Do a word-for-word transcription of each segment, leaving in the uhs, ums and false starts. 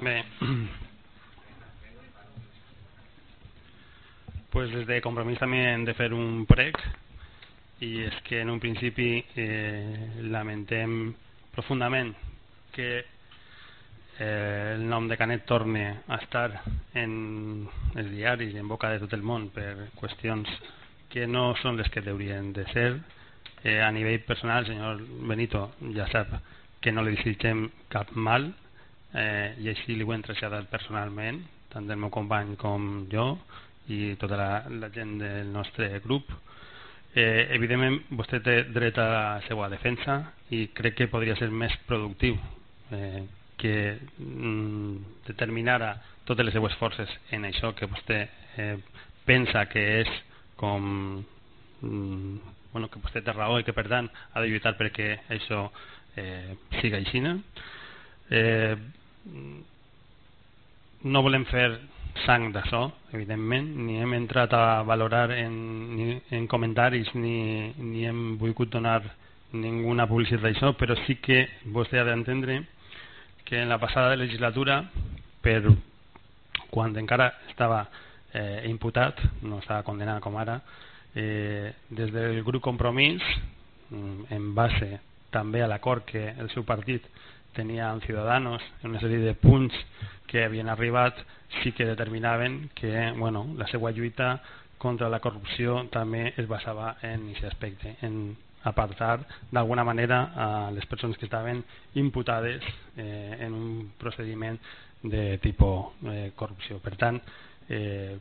Bé, pues des de Compromís també hem de fer un prec, i és que en un principi eh, lamentem profundament que eh, el nom de Canet torne a estar en els diaris i en boca de tot el món per qüestions que no són les que haurien de ser. Eh, a nivell personal, el senyor Benito ja sap que no li desitgem cap mal, eh, i així li ho hem traslladat personalment, tant el meu company com jo i tota la, la gent del nostre grup. Eh, evidentment vostè té dret a la seva defensa i crec que podria ser més productiu eh, que mm, determinara totes les seues forces en això que vostè eh, pensa que és com mm, bueno, que vostè té raó i que per tant ha de lluitar perquè això eh, siga així. Eh, no volem fer sang d'això, evidentment, ni hem entrat a valorar en, ni, en comentaris ni, ni hem volgut donar ninguna publicitat d'això, però sí que vostè ha d'entendre que en la passada legislatura, per quan encara estava eh, imputat, no estava condenat com ara, eh, des del grup Compromís, en base també a l'acord que el seu partit tenia amb Ciudadanos, una sèrie de punts que havien arribat, sí que determinaven que bueno, la seva lluita contra la corrupció també es basava en aquest aspecte, en apartar d'alguna manera a les persones que estaven imputades eh, en un procediment de tipus eh, corrupció. Per tant, eh,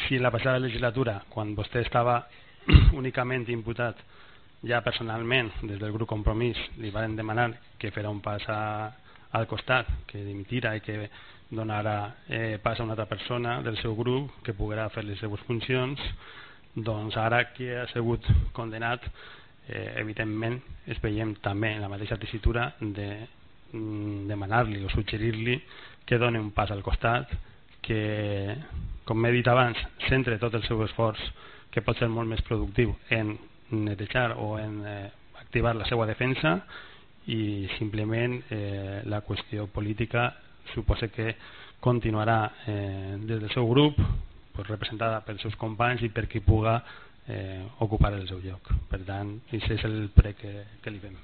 si en la passada legislatura, quan vostè estava únicament imputat, ja personalment des del grup Compromís li van demanar que fera un pas a, al costat, que dimitira i que donarà eh, pas a una altra persona del seu grup que poguerà fer les seues funcions, doncs ara que ha sigut condenat, eh, evidentment es veiem també en la mateixa tessitura de mm, demanar-li o suggerir-li que doni un pas al costat, que, com he dit abans, centre tot el seu esforç, que pot ser molt més productiu en netejar o en eh, activar la seva defensa, i simplement eh, la qüestió política suposa que continuarà eh, des del seu grup, pues, representada pels seus companys i per qui puga eh, ocupar el seu lloc. Per tant, aquest és el prec que, que li fem.